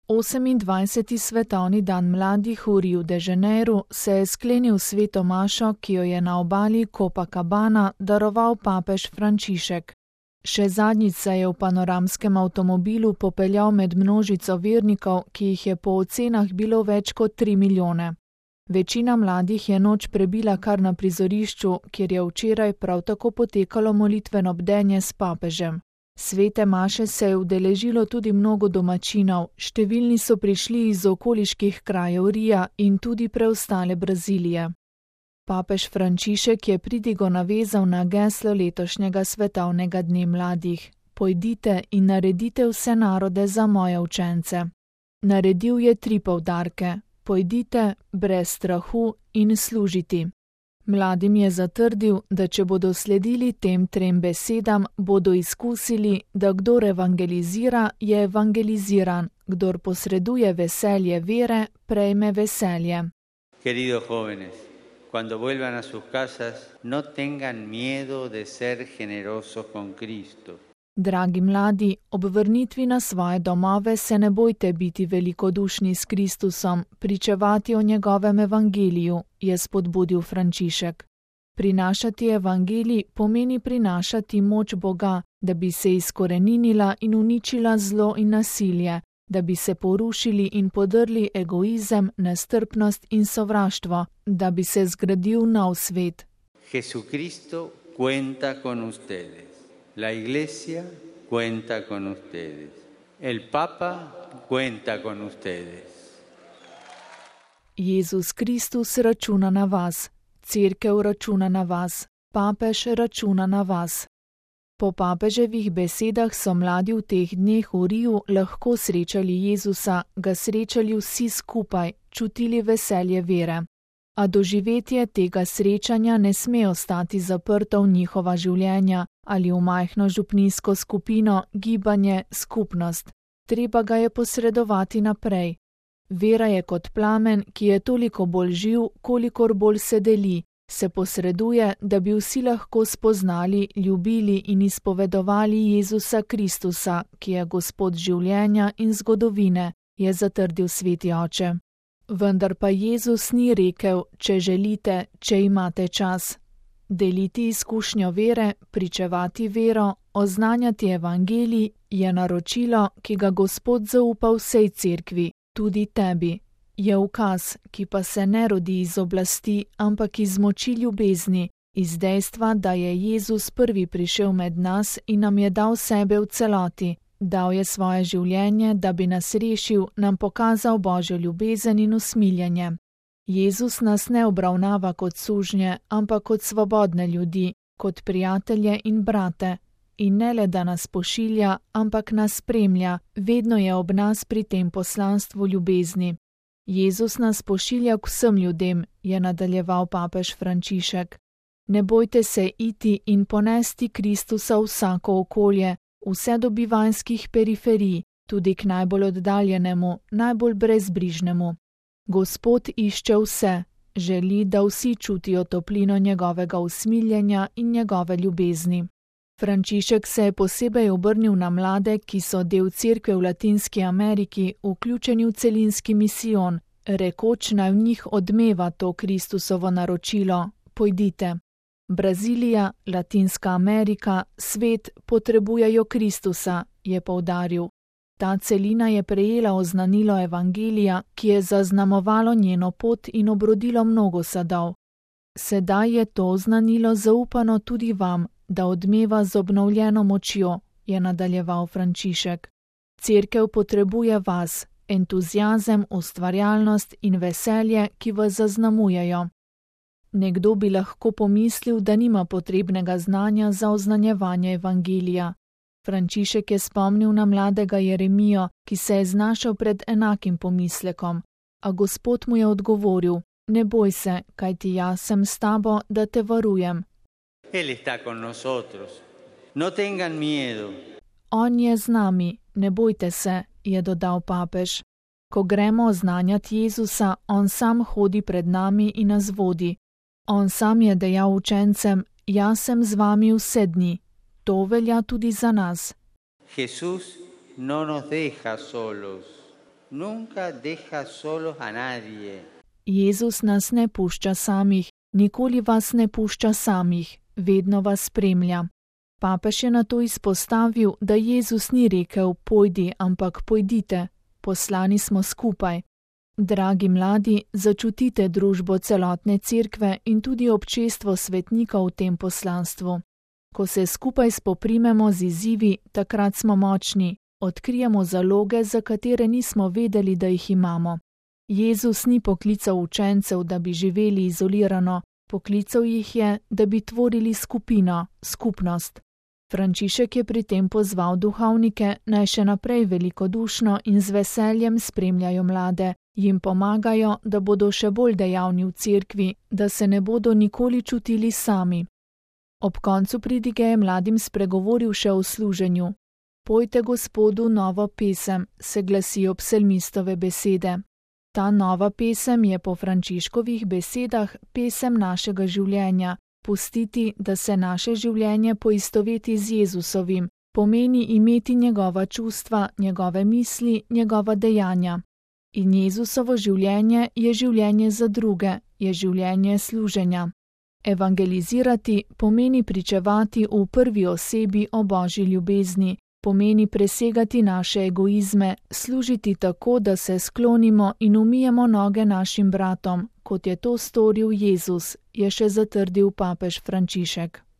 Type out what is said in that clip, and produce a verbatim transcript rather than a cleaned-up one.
osemindvajseti svetovni dan mladih v Riu de Janeiru se je sklenil sveto mašo, ki jo je na obali Copacabana daroval papež Frančišek. Še zadnjič se je v panoramskem avtomobilu popeljal med množico vernikov, ki jih je po ocenah bilo več kot tri milijone. Večina mladih je noč prebila kar na prizorišču, kjer je včeraj prav tako potekalo molitveno bdenje s papežem. Svete maše se je udeležilo tudi mnogo domačinov, številni so prišli iz okoliških krajev Rija in tudi preostale Brazilije. Papež Frančišek je pridigo navezal na geslo letošnjega svetovnega dne mladih: Pojdite in naredite vse narode za moje učence. Naredil je tri poudarke: pojdite, brez strahu in služiti. Mladim je zatrdil, da če bodo sledili tem trem besedam, bodo izkusili, da kdor evangelizira, je evangeliziran, kdor posreduje veselje vere, prejme veselje. Queridos jóvenes, cuando vuelvan a sus casas, no tengan miedo de ser generosos con Cristo. Dragi mladi, ob vrnitvi na svoje domove se ne bojte biti velikodušni s Kristusom, pričevati o njegovem evangeliju, je spodbudil Frančišek. Prinašati evangelij pomeni prinašati moč Boga, da bi se izkoreninila in uničila zlo in nasilje, da bi se porušili in podrli egoizem, nestrpnost in sovraštvo, da bi se zgradil nov svet. Jesucristo cuenta con ustedes. La Iglesia cuenta con ustedes. El Papa cuenta con ustedes. Jezus Kristus računa na vas, Cerkev računa na vas, papež računa na vas. Po papeževih besedah so mladi v teh dneh v Riu lahko srečali Jezusa, ga srečali vsi skupaj, čutili veselje vere. A doživetje tega srečanja ne sme ostati zaprto v njihova življenja ali v majhno župnijsko skupino, gibanje, skupnost. Treba ga je posredovati naprej. Vera je kot plamen, ki je toliko bolj živ, kolikor bolj se deli, se posreduje, da bi vsi lahko spoznali, ljubili in izpovedovali Jezusa Kristusa, ki je Gospod življenja in zgodovine, je zatrdil sveti oče. Vendar pa Jezus ni rekel, če želite, če imate čas. Deliti izkušnjo vere, pričevati vero, oznanjati evangelij je naročilo, ki ga Gospod zaupa vsej cerkvi, tudi tebi. Je ukaz, ki pa se ne rodi iz oblasti, ampak iz moči ljubezni, iz dejstva, da je Jezus prvi prišel med nas in nam je dal sebe v celoti. Dal je svoje življenje, da bi nas rešil, nam pokazal Božjo ljubezen in usmiljenje. Jezus nas ne obravnava kot sužnje, ampak kot svobodne ljudi, kot prijatelje in brate. In ne le, da nas pošilja, ampak nas spremlja, vedno je ob nas pri tem poslanstvu ljubezni. Jezus nas pošilja k vsem ljudem, je nadaljeval papež Frančišek. Ne bojte se iti in ponesti Kristusa v vsako okolje, vse do bivanjskih periferij, tudi k najbolj oddaljenemu, najbolj brezbrižnemu. Gospod išče vse, želi, da vsi čutijo toplino njegovega usmiljenja in njegove ljubezni. Frančišek se je posebej obrnil na mlade, ki so del cerkve v Latinski Ameriki, vključeni v celinski misijon, rekoč naj v njih odmeva to Kristusovo naročilo: pojdite. Brazilija, Latinska Amerika, svet potrebujejo Kristusa, je poudaril. Ta celina je prejela oznanilo evangelija, ki je zaznamovalo njeno pot in obrodilo mnogo sadov. Sedaj je to oznanilo zaupano tudi vam, da odmeva z obnovljeno močjo, je nadaljeval Frančišek. Cerkev potrebuje vas, entuziazem, ustvarjalnost in veselje, ki vas zaznamujejo. Nekdo bi lahko pomislil, da nima potrebnega znanja za oznanjevanje evangelija. Frančišek je spomnil na mladega Jeremijo, ki se je znašel pred enakim pomislekom, a Gospod mu je odgovoril: ne boj se, kajti jaz sem s tabo, da te varujem. Él está con nosotros. No tengan miedo. On je z nami, ne bojte se, je dodal papež. Ko gremo oznanjati Jezusa, on sam hodi pred nami in nas vodi. On sam je dejal učencem: jaz sem z vami vse dni. To velja tudi za nas. Jesús no nos deja solos. nunca deja solos a nadie. Jezus nas ne pušča samih, nikoli vas ne pušča samih, vedno vas spremlja. Papež je nato izpostavil, da Jezus ni rekel pojdi, ampak pojdite, poslani smo skupaj. Dragi mladi, začutite družbo celotne cerkve in tudi občestvo svetnika v tem poslanstvu. Ko se skupaj spoprimemo z izzivi, takrat smo močni, odkrijemo zaloge, za katere nismo vedeli, da jih imamo. Jezus ni poklical učencev, da bi živeli izolirano, poklical jih je, da bi tvorili skupino, skupnost. Frančišek je pri tem pozval duhovnike, naj še naprej velikodušno in z veseljem spremljajo mlade, jim pomagajo, da bodo še bolj dejavni v cerkvi, da se ne bodo nikoli čutili sami. Ob koncu pridige je mladim spregovoril še o služenju. Pojte Gospodu novo pesem, se glasijo psalmistove besede. Ta nova pesem je po Frančiškovih besedah pesem našega življenja. Pustiti, da se naše življenje poistoveti z Jezusovim, pomeni imeti njegova čustva, njegove misli, njegova dejanja. In Jezusovo življenje je življenje za druge, je življenje služenja. Evangelizirati pomeni pričevati v prvi osebi o Božji ljubezni, pomeni presegati naše egoizme, služiti tako, da se sklonimo in umijemo noge našim bratom, kot je to storil Jezus, je še zatrdil papež Frančišek.